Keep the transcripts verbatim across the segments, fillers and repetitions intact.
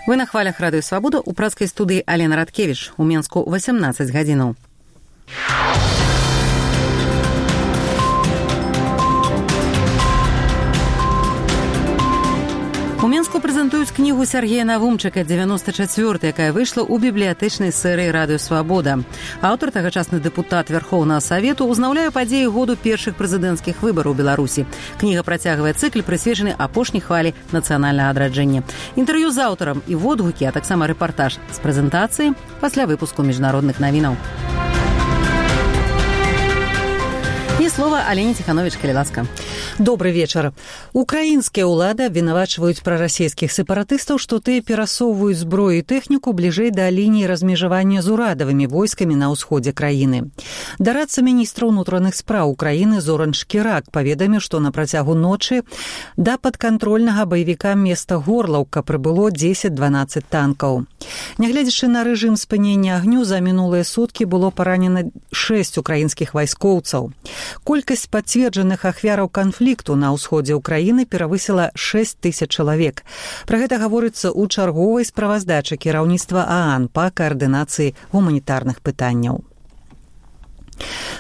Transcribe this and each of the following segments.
Вы на хвалях Радыё Свабода, у працкай студыі Алена Радкевіч, у Менску васямнаццаць гадзінаў. У Менску прэзентуюць кнігу Сергея Навумчыка «девяносто четыре», якая выйшла ў бібліятэчнай серыі Радыё Свабода. Аўтар, тагачасны дэпутат Вярхоўнага Савету, узнаўляе падзеі году першых прэзідэнцкіх выбараў у Беларусі. Кніга працягвае цыкл, прысвечаны апошняй хвалі нацыянальнага адраджэння. Інтэрв'ю з аўтарам і водгукі, а таксама рэпартаж з прэзентацыі пасля выпуску міжнародных навінаў. І слова Алене Ціхановіч, калі ласка. Добрый вечар. Украінскія ўлады абвінавачваюць прарасійскіх сепаратыстаў, што тыя перасоўваюць зброю і тэхніку бліжэй да лініі размежавання з урадавымі войскамі на ўсходзе краіны. Дарадца міністра ўнутраных спраў Украіны Зоран Шкірак паведаміў, што на працягу ночы да падкантрольнага баевіка места Горлаўка прыбыло дзесяць-дванаццаць танкаў. Нягледзячы на рэжым спынення агню, за мінулыя суткі было паранена шэсць украінскіх вайскоўцаў. Колькасць пацверджаных ахвяраў канфлікту на ўсходзе ўкраіны перавысіла шэсць тысяч чалавек. Пра гэта гаворыцца ў чарговай справаздачы кіраўніцтва ААН па каардынацыі гуманітарных пытанняў.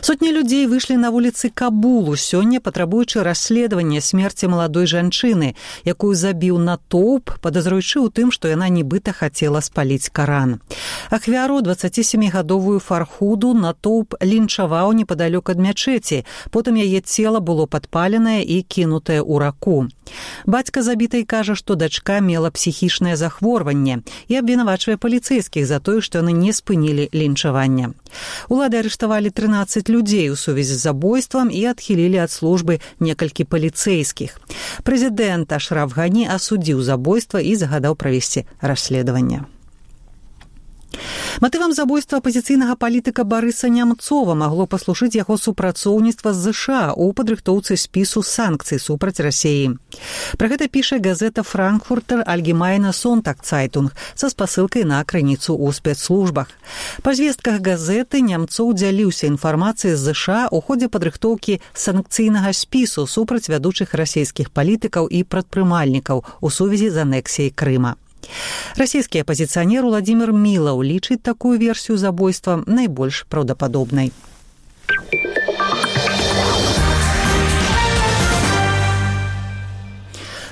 Сотні людзей выйшлі на вуліцы Кабулу сёння, патрабуючы расследавання смерці маладой жанчыны, якую забіў натоўп, падазруючы ў тым, што яна нібыта хацела спаліць Каран. Ахвяру, дваццацісямігадовую Фархуду, натоўп лінчаваў непадалёк ад мячэці, потым яе цела было падпаленае і кінутае ў раку. Бацька забітай кажа, што дачка мела псіхічнае захворванне і абвінавачвае паліцэйскіх за тое, што яны не спынілі лінчавання. Улады арыштавалі трынаццаць людзей у сувязі з забойствам і адхілілі ад службы некалькі паліцэйскіх. Прэзідэнт Ашраф Гані асудзіў забойства і загадаў правесці расследаванне. Матывам забойства апазіцыйнага палітыка Барыса Нямцова магло паслужыць яго супрацоўніцтва з ЗША ў падрыхтоўцы спісу санкцый супраць Расіі. Пра гэта піша газета «Франкфуртер Альгемайне Сонтаг-Цайтунг» са спасылкай на крыніцу ў спецслужбах. Па звестках газеты Нямцоў дзяліўся інфармацыяй з ЗША ў ходзе падрыхтоўкі санкцыйнага спісу супраць вядучых расійскіх палітыкаў і прадпрымальнікаў у сувязі з анексіяй Крыма. Расійскі апазіцыянер Уладзімір Мілаў лічыць такую версію забойства найбольш праўдападобнай.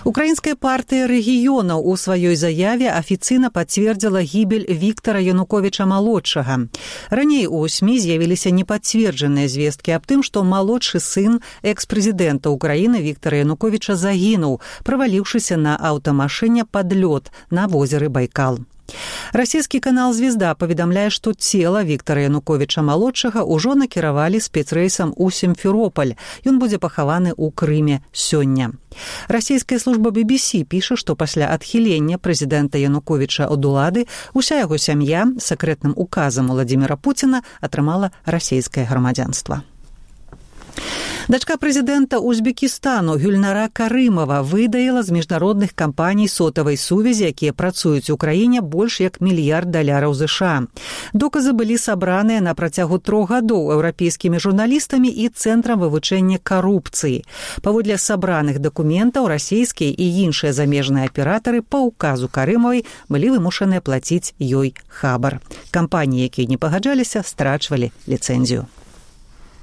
Украінская партыя рэгіёнаў у сваёй заяве афіцыйна пацвердзіла гібель Віктара Януковіча-малодшага. Раней у СМІ з'явіліся непацверджаныя звесткі аб тым, што малодшы сын экс-прэзідэнта Украіны Віктара Януковіча загінуў, праваліўшыся на аўтамашыне пад лёд на возеры Байкал. Расійскі канал «Звезда» паведамляе, што цела Віктара Януковіча-малодшага ўжо накіравалі спецрэйсам у Сімферопаль. Ён будзе пахаваны ў Крыме сёння. Расійская служба би би сі піша, што пасля адхілення прэзідэнта Януковіча ад улады уся яго сям'я сакрэтным указам Уладзіміра Пуціна атрымала расійскае грамадзянства. Дачка прэзідэнта Узбекістану Гюльнара Карымова выдаіла з міжнародных кампаній сотавай сувязі, якія працуюць у краіне, больш як мільярд даляраў ЗША. Доказы былі сабраныя на працягу трох гадоў еўрапейскімі журналістамі і цэнтрам вывучэння карупцыі. Паводле сабраных дакументаў расійскія і іншыя замежныя аператары па ўказу Карымавай былі вымушаныя плаціць ёй хабар. Кампаніі, якія не пагаджаліся, страчвалі ліцэнзію.